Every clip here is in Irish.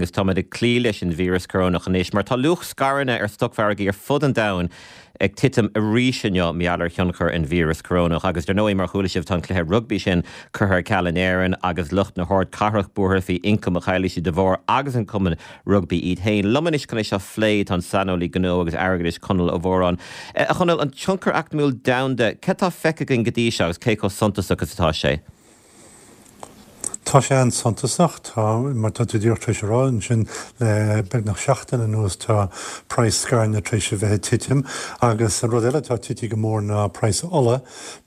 linn agus táimid ag cloí leis an víreas corónach anois mar tá luach scaireanna ar stocmhargaí ar fud an domhain ag titim arís inniu mar gheall ar thionchar an víreas corónach. Agus dar ndóigh, mar a chuala sibh, tá an cluiche rugbaí sin curtha ar ceal in Éirinn agus lucht na hardchathrach buartha faoi ioncam a chaillfidh siad de bharr agus an cumann rugbaí iad féin. Liom anois chun é seo a phlé tá an saineolaí gnó agus airgeadais Conall Ó Móráin. A Chonaill, an tionchar eacnamúil domhanda, cad tá feicthe againn go dtí seo agus cé chomh suntasach is atá sé? Tá sé an-suntasach. Tá, mar tá tú díreach tar éis a rá ansin, le beagnach seachtain anuas tá praghas scaireanna tar éis a bheith ag titim agus an rud eile atá tite go mór ná praghas ola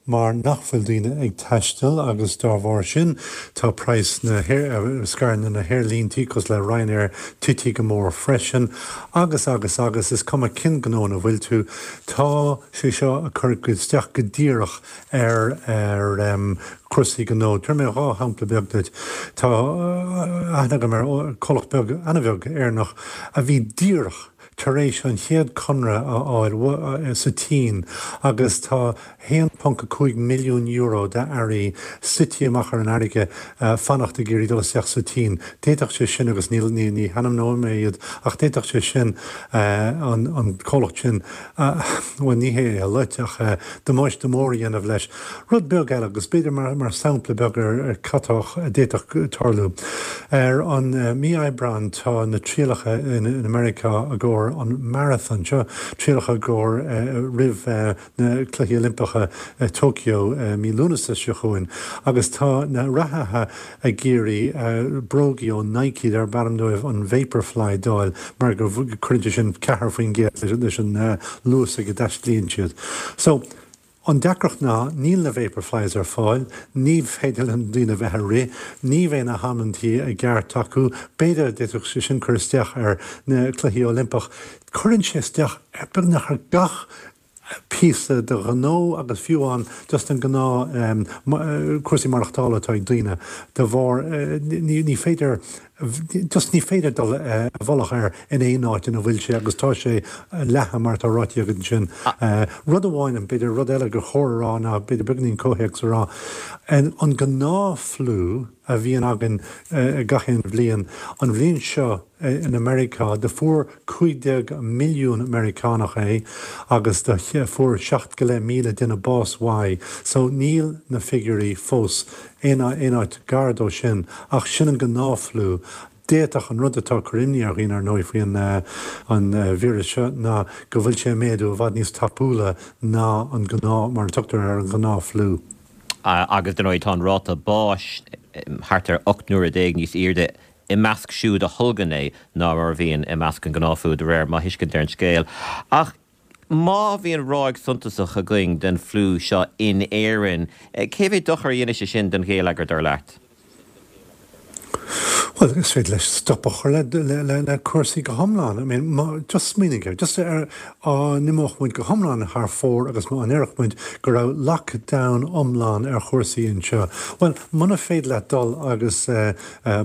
mar nach bhfuil daoine ag taisteal agus dá bharr sin tá praghas na scaireanna na haerlíntí cosúil le Ryanair tite go mór freisin agus agus agus is cuma cén gnó ina bhfuil tú tá sé seo ag cur isteach go díreach ar ar chúrsaí gnó. Tabharfaidh mé 2 shampla beag duit. Tá aithne agam ar comhlacht beag, an-bheag, Éireannach a bhí díreach tar éis an chéad conradh a fháil sa tSín agus tá €1.5 milliún d'earraí suite amach ar an fharraige fanacht ag iarraidh dul isteach sa tSín. D'fhéadfadh sé sin, agus ní ní hainmneoidh mé iad, ach d'fhéadfadh sé sin an comhlacht sin bhuel, ní hé é a loit, ach damáiste mór a dhéanamh leis. Rud beag eile, agus b'fhéidir mar sampla beag ar cad tá a d'fhéadfadh tarlú. Ar an mí Aibreán tá na trialacha in Meiriceá i gcomhair an marathon seo, trialacha i gcomhair roimh na Cluichí Oilimpeacha Tokyo mí Lúnasa seo chugainn, agus tá na reathaithe ag iarraidh brógaí ó Nike darb ainm dóibh an Vaporfly d'fháil mar go gcuireann sé sin 4% leis an luas ag a dtaistlíonn siad. So, an deacracht ná níl na Vaporflies ar fáil, ní féidir le daoine bheith ag rith, ní bheidh na hamantaí i gceart acu, b'fhéidir d'fhéadfadh sé sin cur isteach ar na Cluichí Oilimpeach. Cuireann sé isteach ar beagnach ar gach píosa de ghnó agus fiú amháin just an gnáth cúrsaí maireachtála atá ag daoine de bharr ní féidir just ní féidir dul i bhfolach air in aon áit ina bhfuil sé agus tá sé leathan mar atá ráite agat ansin. Rud amháin, b'fhéidir rud eile gur chóir a rá ná b'fhéidir beagainín comhthéacs a rá, an gnáth fliú a bhíonn againn gach aon bhliain, an bhliain seo in Meiriceá do fuair 15 milliún Meiriceánach é agus do fuair 7 go leith míle duine bás uaidh so níl na figiúirí fós aon áit gar dó sin ach sin an gnáth-fhliú. D'fhéadfadh an rud atá ag cur imní ar dhaoine ar ndóigh faoi an víreas seo ná go bhfuil sé ag méadú i bhfad níos tapúla ná an gnáth, mar a tugtar air, an gnáth-fhliú. Agus dar ndóigh tá an ráta báis thart ar 18 n-uaire níos airde i measc siúd a tholgann é ná mar a bhíonn i measc an gnáth-fhliú, de réir mo thuiscint ar an scéal. Ach má bhíonn ráig suntasach againn den fhliú seo in Éirinn, cé mhéad dochar a dhéanfaidh sé sin don gheilleagar, dar leat? Bhuel, is féidir leis stop a chur le cúrsaí go hiomlán. I mean, má, just smaoinigh air, just ar, dá n-imeodh muid go hiomlán thar fóir agus má ndéarfadh muid go raibh lockdown iomlán ar chúrsaí anseo, bhuel, muna féidir leat dul agus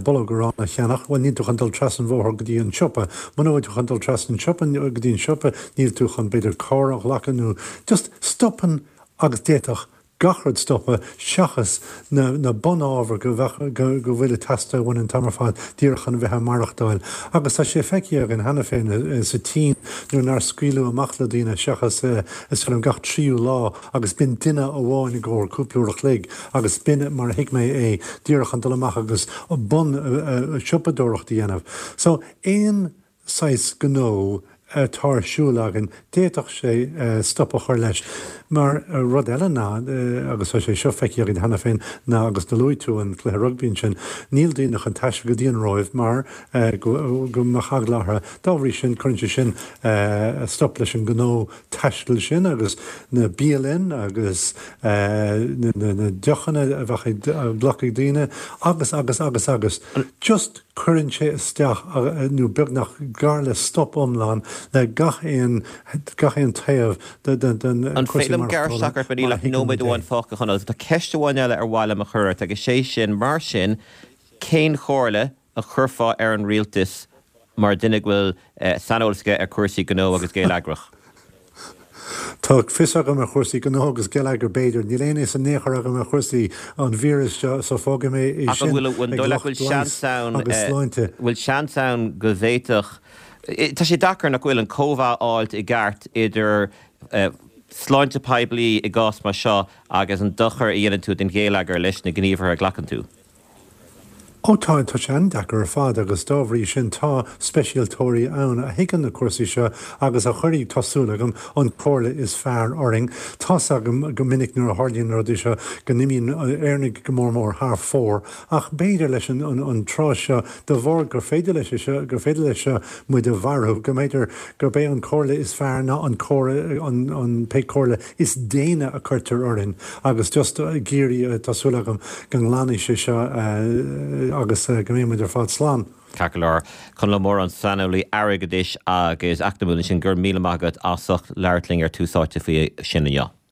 Bulóg aráin a cheannach, bhuel, níl tú chun dul trasna an bhóthair go dtí an siopa. Muna bhfuil tú chun dul trasna an siopa, go dtí an siopa, níl tú chun, b'fhéidir, carr a ghlacadh nó just stopann agus d'fhéadfadh gach rud stopadh seachas na, na bunábhair go bheadh, go, go bhfuil ag teastáil uainn an t-am ar fad díreach chun a bheith ag maireachtáil. Agus tá sé feicthe againn cheana féin sa tSín nuair nár scaoileadh amach le daoine seachas, is dóigh liom, gach tríú lá agus b'in duine amháin i gcomhair cúpla uair a chloig. Agus b'in mar a thuig mé é, díreach chun dul amach agus bun siopadóireacht a dhéanamh. So, aon saghas gnó atá ar siúl againn, d'fhéadfadh sé stop a chur leis. Mar rud eile ná, agus tá sé seo feicthe againn cheana féin, ná, agus do luaigh tú an cluiche rugbaí ansin, níl daoine chun taisteal go dtí an Róimh mar go mbeadh eagla orthu. Dá bhrí sin, cuireann sé sin stop leis an ngnó taistil sin agus na bialanna agus na deochanna a bheadh á nglacadh ag daoine agus agus agus agus just cuireann sé isteach nó beagnach gar le stop iomlán le gach aon gach aon taobh den An cúrsaí féidir liom gearradh maireachtála isteach ort mar níl mar a ach thuigeann nóiméad muid é. amháin fágtha a Chonaill. Tá ceist amháin eile ar mhaith liom a chur ort agus sé sin mar sin cén chomhairle a chuirfeá ar an rialtas mar duine go bhfuil saineolas aige ar chúrsaí gnó agus geilleagrach? Tá fios agam ar chúrsaí gnó agus geilleagair, b'fhéidir. Níl aon fhios in aon chor agam ar chúrsaí an víris seo, so fágfaidh mé é sin ag lucht leighis agus sláinte. Bhfuil seans ann go bhféadfadh, tá sé deacair nach bhfuil, an cóimheá a fháilt i gceart idir sláinte poiblí i gcás mar seo agus an dochar a dhéanann tú don gheilleagar leis na gníomhartha a ghlacann tú? Ó tá, tá sé an-deacair ar fad agus dá bhrí sin tá speisialtóirí ann a thuigeann na cúrsaí seo agus a chuirfidh, tá súil agam, an comhairle is fearr orainn. Tá's agam go minic nuair a tharlaíonn na rudaí seo go n-imíonn Éireannaigh go mór mór thar fóir ach b'fhéidir leis an an tráth seo de bharr gur féidir leis seo, gur féidir leis seo muid a mharú, go mb'fhéidir gurb é an comhairle is fearr ná an comhairle, an, an, pé comhairle is déine a cuirtear orainn agus just ag iarraidh, tá súil agam go nglanfaidh sé seo agus go mbeidh muid ar fad slán. Ceart go leor. Conall Ó Móráin, saineolaí airgeadais agus eacnamúil ansin, go raibh míle maith agat as ucht labhairt linn ar Tús Áite faoi sin inniu.